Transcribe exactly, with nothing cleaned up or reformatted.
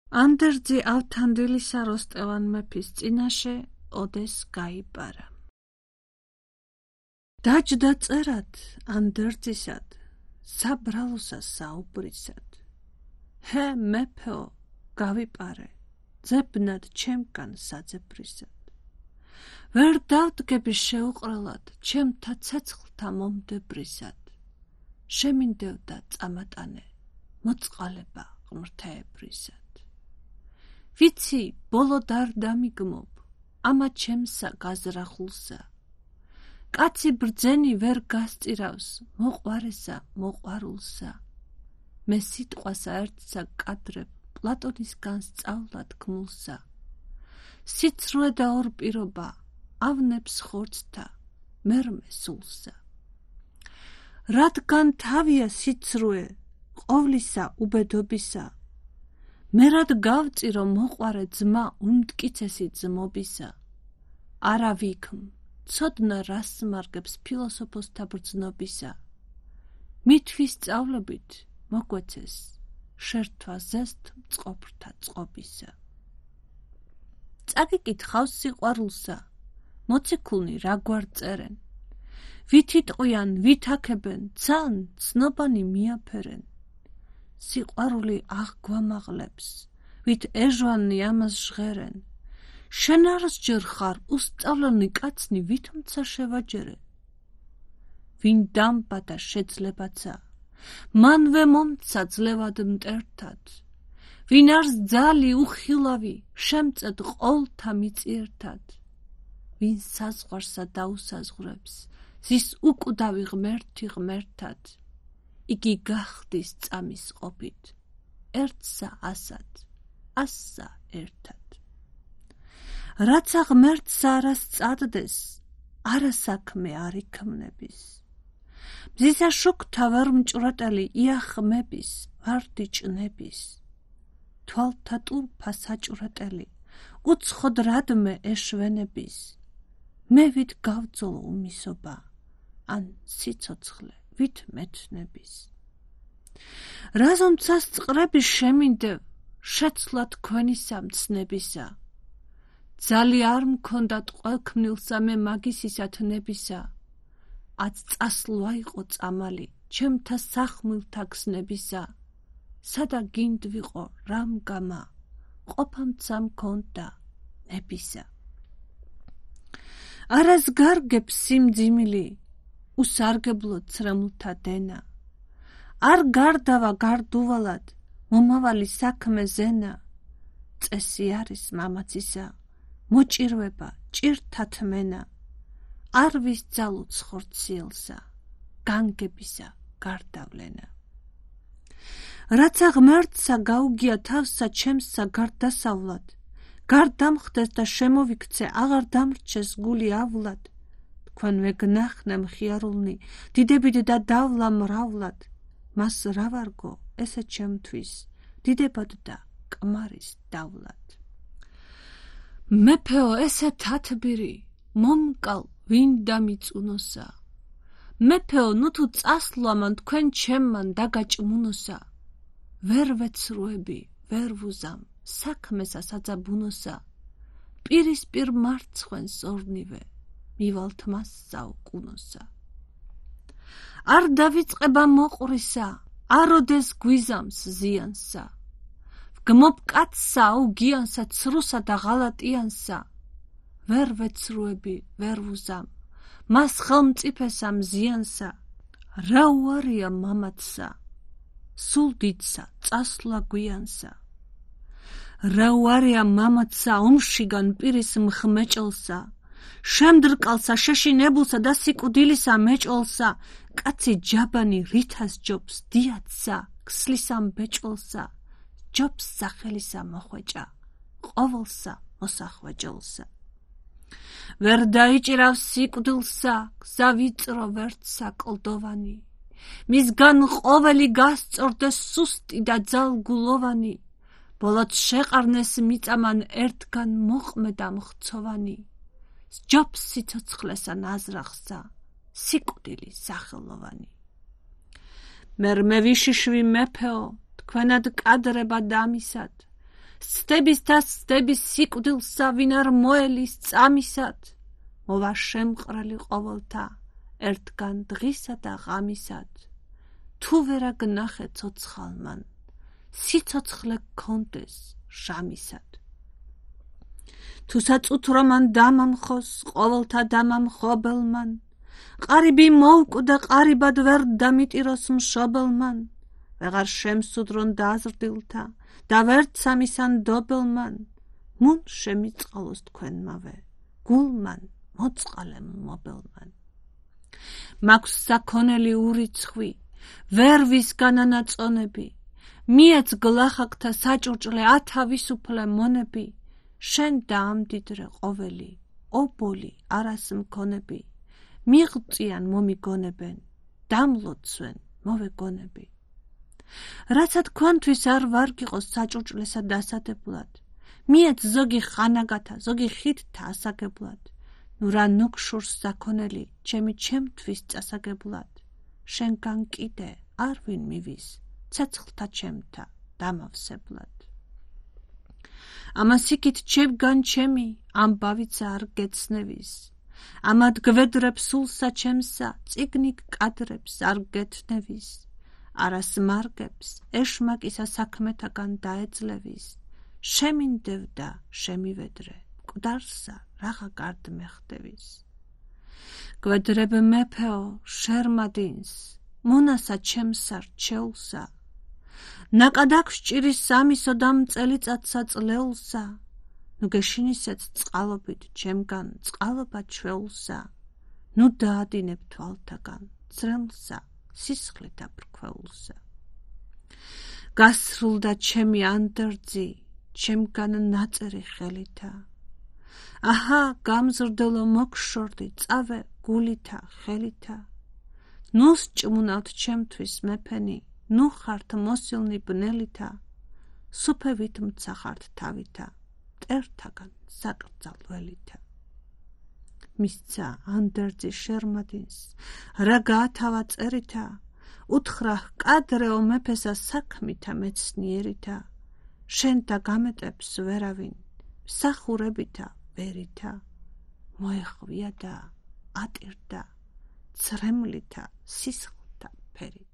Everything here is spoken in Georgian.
ანდერძი ავთანდილისა როსტევან მეფის წინაშე ოდეს გაიპარა. დაჯდა წერად ანდერძისად, საბრალოსა საუბრისად. ჰე მეფეო, გავიპარე, ძებნად ჩემგან საძებრისად. ვერ დავდგები შეუყრელად, ჩემთა ცეცხლთა მომდებრისად. შემინდევდა წამატანე, მოწყალება ღმრთაებრისად. ვიცი, ბოლოდ არ დამიგმობ, ამა ჩემსა გაზრახულსა. კაცი ბრძენი ვერ გასწირავს, მოყვარესა მოყვარულსა. მე სიტყვასა ერთსა კადრებ, პლატონისგან სწავლად გმულსა. სიცრუე და ორ პირობა, ავნებს ხორცთა, მერმე სულსა. რადგან თავია სიცრუე, ყოვლისა უბედობისა, მე რად გავწირო მოყვარე ძმა უმტკიცესი ძმობისა. არა ვიქმ, ცოდნა რას მარგებს ფილოსოფოსთა ბრძნობისა. მითვი სწავლებით მოგვეცეს, შერთვა ზესთ მწყობრთა წყობისა. წაგიკითხავს სიყვარულსა, მოციქულნი რაგვარ წერენ. ვით იტყვიან, ვით აქებენ, ცან ცნობანი მიაფერენ. სიყვარული აღგვამაღლებს, ვით ეჟვანი ამას ჟღერენ. შენ არ სჯერ ხარ უსწავლელნი კაცნი, ვითომცა შევაჯერე. ვინ დამბადა შეძლებაცა, მანვე მომცა ძლევად მტერთად. ვინ არს ძალი უხილავი, შემწედ ყოლთა მიწიერთად. ვინ საზღვარსა დაუსაზღვრებს, ზის უკვდავი ღმერთი ღმერთად. იგი გახდის წამის ყოფით, ერთსა ასად, ასსა ერთად. რაცა ღმერთსა არა სწადდეს, არა საქმე არ იქმნების. მზისა შუქთა ვარ მჭვრეტელი იახმების, ვარდი ჭნების. თვალთა ტურფა საჭვრეტელი, უცხოდ რადმე ეშვენების. მე ვით გავძოლო უმისობა, ან სიცოცხლე ვით მეთნების. რაზომცას წყრები შემინდევ, შეცვლა თქვენისა მცნებისა. ძალი არ მქონდათ ყველქმნილსა მე მაგისისა თნებისა. აც წასლვა იყო წამალი, ჩემთა სახმილთა გზნებისა. სადა გინდ ვიყო რამ გამა, ყოფამცა მქონდა ნებისა. არას გარგებს სიმძიმილი, უსარგებლო ცრემლთა დენა. არ გარდავა გარდუვალად, მომავალი საქმე ზენა. წესი არის მამაცისა, მოჭირვება ჭირთა თმენა. არ ვისძალო ცხორციელსა, განგებისა გარდავლენა. რაცა ღმერთსა გაუგია თავსა ჩემსა გარდასავლად, გარდამხდეს და შემოვიქცე, აღარ დამრჩეს გული ავლად. თქვენ ვეგნახნე მხიარულნი, დიდებით და დავლა მრავლად. მას რა ვარგო, ესე ჩემთვის, დიდებად და კმარის დავლად. მეფეო, ესე თათბირი, მომკალ ვინ დამიწუნოსა. მეფეო, ნუ თუ წასვლამან თქვენ ჩემმან დაგაჭმუნოსა. ვერ ვეცრუები, ვერ ვუზამ, საქმესა საძაბუნოსა. პირისპირ მარცხვენს ორნივე, მივალთ მას საუკუნოსა. არ დავიწყება მოყვრისა, აროდეს გვიზამს ზიანსა. ვგმობ კაცსა აუგიანსა, ცრუსა და ღალატიანსა. ვერ ვეცრუები, ვერ ვუზამ, მას ხელმწიფესა მზიანსა. რა უარია მამაცსა, სულ დიდსა წასვლა გვიანსა. რა უარია მამაცსა, ომშიგან პირის მხმეჭელსა. შემდრკალსა, შეშინებულსა და სიკვდილისა მეჭოლსა. კაცი ჯაბანი რითას ჯობს დიაცსა, ქსლისამ ბეჭოლსა. ჯობს სახელისა მოხვეჭა, ყოველსა მოსახვეჭოლსა. ვერ დაიჭირავს სიკვდილსა, გზა ვიწრო ვერთსა კლდოვანი. მისგან ყოველი გასწორდეს სუსტი და ძალგულოვანი. ბოლოდ შეყარნეს მიწამან ერთგან მოყმედა მხცოვანი. სჯობს სიცოცხლესა ნაზრახსა, სიკვდილი სახელოვანი. მერმე ვიშიშვი მეფეო, თქვენად კადრება დამისად. სტების და სტების სიკვდილსა ვინ არ მოელის წამისად მოვა შემყრელი ყოველთა ერთგან დღისა და ღამისად თუ ვერა გნახე ცოცხალმან სიცოცხლე გქონდეს ჟამისად თუ საწუთრო მან დამამხოს ყოველთა დამამხობელმან ყარიბი მოვკვდა ყარიბად ვერ დამიტიროს მშობელმან ვეღარ შემსუდრონ დაზრდილთა და ვერც სამისან dobelman მუნ შემიწყალოს თქვენმავე გულმან მოწყალე მობელმან მაქვს საქონელი ურიცხვი ვერ ვისგანანაწონები მიეც გლახაკთა საჭურჭლე ათავისუფლე მონები შენ დაამდიდრე ყოველი ობოლი არას მქონები მიღწიან მომიგონებენ დამლოცვენ მოვეგონები რაცა თქვენთვის არ ვარ გიყოს საჭურჭლესა დასადებლად მიეც ზოგი ხანაგათა ზოგი ხითთა ასაგებლად ნუ რა ნუქშურს საქონელი ჩემი ჩემთვის წასაგებლად შენგან კიდე არ ვინ მივის ცეცხლთა ჩემთა დამავსებლად ამას იქით ჩემგან ჩემი ამბავიცა არ გეცნევის ამად გვედრებს სულსა ჩემსა წიგნი კადრებს არ გეთნევის არას მარგებს ეშმაკისა საქმეთაგან დაეძლევის შემინდევდა შემივედრე მკვდარსა რაღა გარდ მეხდევის გვედრებ მეფეო შერმადინს მონასა ჩემსა რჩეულსა ნაკადაკ სჭირის სამისო და მწელიწადსა წლეულსა ნუ გეშინისეც წყალობით ჩემგან წყალობა ჩვეულსა ნუ დაადინებ თვალთაგან ძრემლსა სისხლით აფრქვეულსა გასრულდა ჩემი ანდერძი ჩემგან ნაწერი ხელითა აჰა გამზრდელო მოგშორდი წავე გულითა ხელითა ნუ სჭმუნავთ ჩემთვის მეფენი ნუ ხართ მოსილნი ბნელითა სუფევით მცახართ თავითა მტერთაგან საკრძალველითა მისცა ანდერძი შერმადინს რა გაათავა წერითა უთხრა კადრეო მეფესა საქმითა მეცნიერითა შენ და გამეტებს ვერავინ მსახურებითა ვერითა მოეხვია და ატირდა ცრემლითა სისხლთა ფერით